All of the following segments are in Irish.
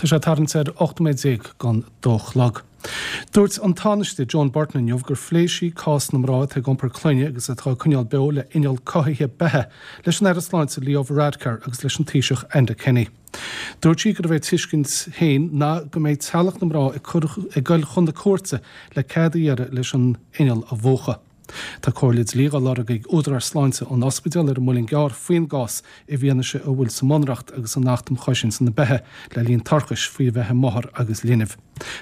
Tá sé ag tarraingt ar 18 nóiméad don dó a chlog. Dúirt an Tánaiste Joan Burton inniu gur phléigh sí cás na mná atá ag iompar clainne agus atá á coinneáil beo le inneall cothaithe beatha leis an Aire Sláinte Leo Varadkar agus leis an Taoiseach Enda Kenny. Dúirt sí gurbh é a tuiscint féin ná go mbeidh teaghlach na mná ag cur ag goil chun na cúirte le cead a iarraidh leis an inneall a mhúchadh. Tá comhairle dlí á lorg ag údaráis sláinte an ospidéil ar an Muileann gCearr faoin gcás i bhfianaise a bhfuil sa mBunreacht agus san Acht um Chosaint na Beatha le linn toirchis faoi bheith i máthair agus linbh.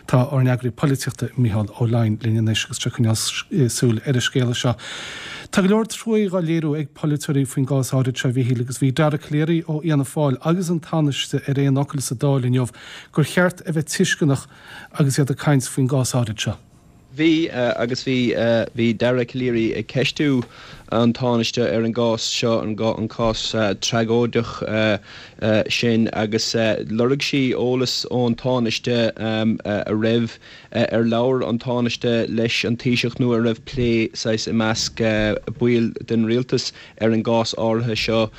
Tá ár n-eagraí polaitíochta Micheál Ó Leidhin linn anois agus tá sé ag coinneáil súil ar an scéala seo. Tá go leor truaí dhá léiriú ag polaiteoirí faoin gcás áirid seo a Mhichíl agus bhí Dara Calleary ó Fhianna Fáil agus an Tánaiste ar aon fhocal sa Dáil inniu gur cheart a bheith tuisceanach agus iad ag caint faoin gcás áirid seo. Bhí, agus bhí, bhí Dara Calleary ag ceistiú an Tánaiste ar an gcás seo, an cás tragóideach sin, agus lorg sí eolas ón Tánaiste a raibh, ar labhair an Tánaiste leis an Taoiseach nó an raibh plé saghas i measc baill den Rialtas ar an gcás áirithe seo.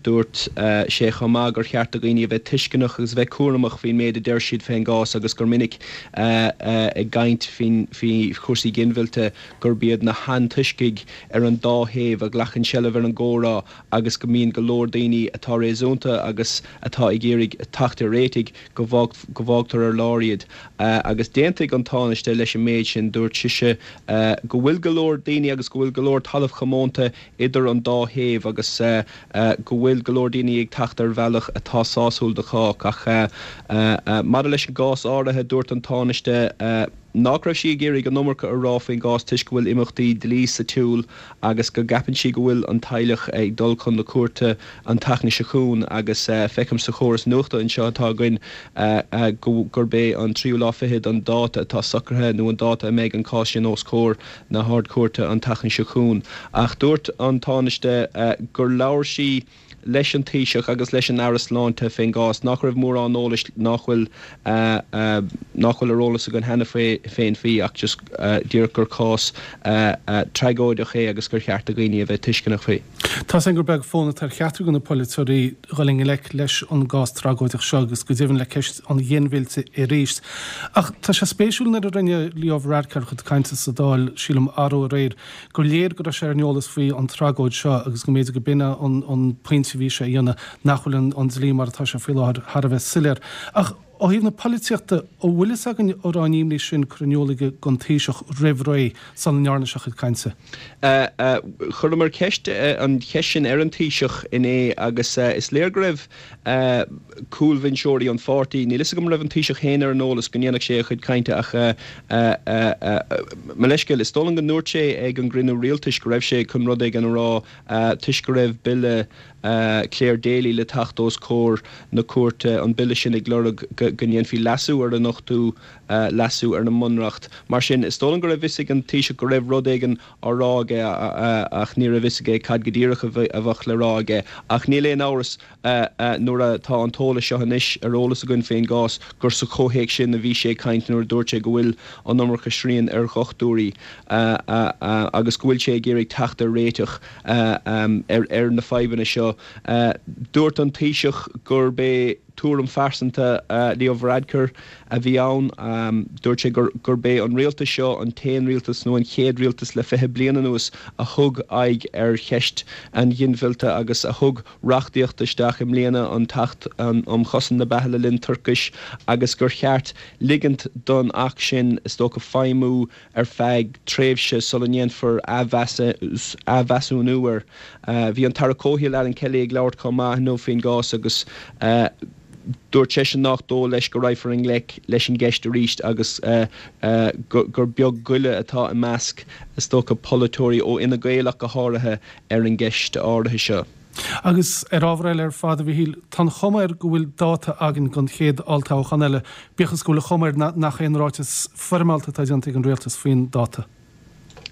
Dúirt sé chomh maith gur cheart do dhaoine a bheith tuisceanach agus a bheith cúramach faoin méid a deir siad fén gcás agus gur minic ag caint faoi chúrsaí ginmhillte gurb iad na hantoiscigh ar an dá thaobh a ghlacann seilbh ar an gcomhrá agus go mbíonn go leor daoine atá réasúnta agus atá ag iarraidh teacht ar réitigh go bhfágtar ar lár iad. Agus d'aontaigh an Tánaiste leis an méid sin. Dúirt sise go bhfuil go leor daoine agus go bhfuil go leor talamh chomónta idir an dá thaobh agus go bhfuil go leor daoine ag teacht ar bhealach atá sásúil do chách. Ach maidir leis an gcás áirithe, dúirt an Tánaiste nach raibh sí ag iarraidh an iomarca a rá faoin gcás toisc go bhfuil imeachtaí dlí sa tsiúl agus go gceapann sí go bhfuil an teaghlach ag dul chun na cúirte an tseachtain seo chugainn agus feicim sa chóras nuachta anseo atá againn gurb é an tríú lá fichead an dáta atá socraithe nó an dáta a mbeidh an cás sin os comhair na hArd-Chúirte an tseachtain seo chugainn. Ach dúirt an Tánaiste gur labhair sí leis an Taoiseach agus leis an Aire Sláinte fén gcás, nach raibh mórán eolais nach bhfuil nach bhfuil ar eolas againn cheana féin faoi ach just díreach gur cás tragóideach é agus gur cheart do dhaoine a bheith tuisceanach faoi. Tá 's againn gur beag fonn atá ar cheachtar de na polaiteoirí dhul i ngleic leis an gcás tragóideach seo agus go deimhin le ceist an ghinmhillte arís. Ach tá sé spéisiúil nuair a rinne Leo Varadkar a chuid cainte sa Dáil, sílim, arú aréir, gur léir go raibh sé ar an eolas faoi an tragóid seo agus go mb'fhéidir go b'in é an pointe a bhí sé a dhéanamh, nach bhfuil an dlí mar atá sé faoi láthair thar a bheith soiléir. Ach ó thaobh na polaitíochta, an bhfuil fhios againn an raibh an imní sin curtha in iúl aige don Taoiseach roimh ré sula ndearna sé a chuid cainte? Chuireamar ceist, an cheist sin ar an Taoiseach inné agus is léir go raibh cúlbhinseoirí an pháirtí, níl fhios agam an raibh an Taoiseach féin ar an eolas go ndéanfadh sé a chuid cainte ach mo leithscéal, is dóigh liom go ndúirt sé ag an gcruinniú rialtais go raibh sé chun rud éigin a rá toisc go raibh bille Clare Daly le teacht os comhair na cúirte, an bille sin ag lorg go ndéanfaí leasú ar an ochtú leasú ar an mBunreacht. Mar sin, is dóigh liom go raibh fhios ag an Taoiseach go raibh rud éigin á rá aige ach ní raibh fhios aige cad go díreach a bheadh le rá aige. Ach níl aon amhras, nuair atá an t-eolas seo anois ar eolas againn faoin gcás, gur sa chomhthéacs sin a bhí sé ag caint nuair a dúirt sé go bhfuil an iomarca srian ar dhochtúirí agus go bhfuil sé ag iarraidh teacht ar réiteach. ar na fadhbanna seo. Dúirt an Taoiseach gurb é tuairim phearsanta Leo Varadkar a bhí ann. Dúirt sé gurb é an rialtas seo an t-aon rialtas nó an chéad rialtas le 20 bliain anuas a thug aghaidh ar cheist an ghinmhillte agus a thug reachtaíocht isteach i mbliana, an tAcht um Chosaint na Beatha le Linn Toirchis, agus gur cheart ligint don Acht sin, is dócha, feidhmiú ar feadh tréimhse sula ndéanfar athmheasúnú air. Bhí an tAire Comhshaoil Alan Kelly ag labhairt chomh maith inniu faoin gcás agus dúirt seisean nach dóigh leis go raghfar i ngleic leis an gceist arís agus gur beag goile atá i measc, is dócha, polaiteoirí ó Fhine Gael ach go háirithe ar an gceist áirithe seo. Agus ar ábhar eile ar fad, a Mhichíl, tá an chuma air go bhfuil dáta againn don chéad olltoghchán eile, bíodh is go bhfuil an chuma air nach aon ráiteas foirmeálta atá déanta ag an rialtas faoin dáta.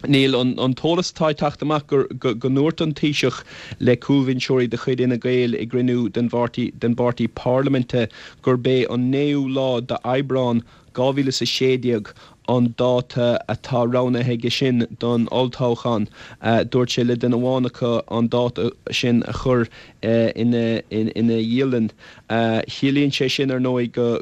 Níl. An t-eolas atá ag teacht amach gur go ndúirt an Taoiseach le cúlbhinseoirí de chuid Fhine Gael i gcruinniú den bpáirtí parlaiminte gurb é an naoú lá d'Aibreán 2016. An dáta atá roghnaithe aige sin don olltoghchán. Dúirt sé le duine amháin acu an dáta sin a chur ina dhialann. Ciallaíonn sé sin, ar ndóigh, go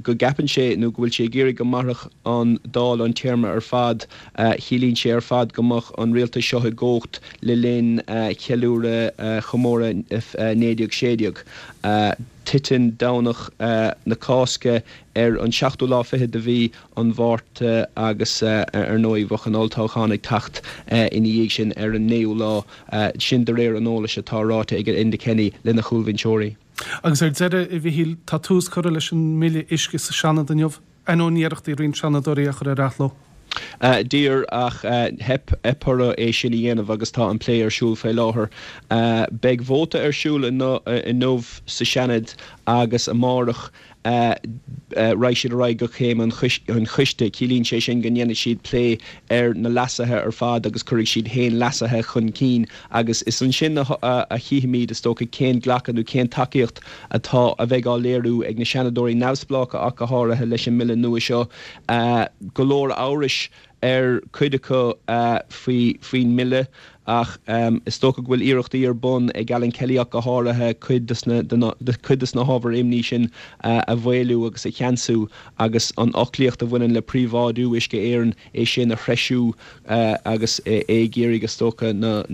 go gceapann sé nó go bhfuil sé ag iarraidh go mairfeadh an Dáil an téarma ar fad. Ciallaíonn sé ar fad go mbeadh an rialtas seo i gcumhacht le linn cheiliúradh chomóradh 1916. Titeann Domhnach na Cásca ar an seachtú lá fichead de mhí an Mhárta agus ar ndóigh bheadh an olltoghchán ag teacht ina dhiaidh sin ar an naoú lá, sin de réir an eolais atá ráite ag Enda Kenny lena chúlbhinseoirí. Agus ar deireadh, a Mhichíl, tá tús curtha leis an mBille Uisce sa Seanad inniu, ainneoin iarrachtaí roinnt Seanadóirí é a chur ar athló. D'iarr ach theip orthu é sin a dhéanamh agus tá an plé ar siúl faoi láthair. Beidh vóta ar siúl inniu sa Seanad agus amárach raghaidh siad ar aghaidh go céim an choiste. Ciallaíonn sé sin go ndéanfaidh siad plé ar na leasuithe ar fad agus cuirfidh siad féin leasuithe chun cinn agus is ansin a chífimid, is dócha, cén glacadh nó cén tacaíocht atá a bheidh á léiriú ag na Seanadóirí neamhspleácha ach go háirithe leis an mbille nua seo. Go leor amhrais ar cuid acu faoin mbille ach is dócha go bhfuil iarrachtaí ar bun ag Alan Kelly ach go háirithe cuid de na hábhair imní sin a mhaolú agus a cheansú agus an fhoclaíocht a bhaineann le príobháidiú Uisce Éireann, é sin a threisiú agus é ag iarraidh, is dócha, na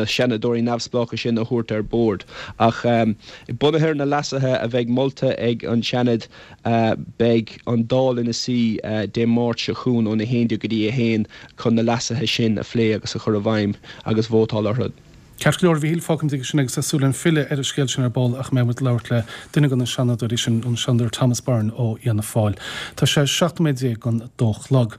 Seanadóirí neamhspleácha sin a thabhairt ar bord. Ach bunaithe ar na leasuithe a bheidh molta ag an Seanad, beidh an Dáil ina suí Dé Máirt seo chugainn óna 11 go dtí 1 chun na leasuithe sin a phlé agus a chur i bhfeidhm agus vótáil orthu. Ceart go leor, a Mhichíl, fágfaimid aige sin agus tá súil againn filleadh ar an scéal sin ar ball ach mbeidh muid ag labhairt le duine de na Seanadóirí sin, an Seanadóir Thomas Byrne ó Fhianna Fáil. Tá sé 17 nóiméad don dó a chlog.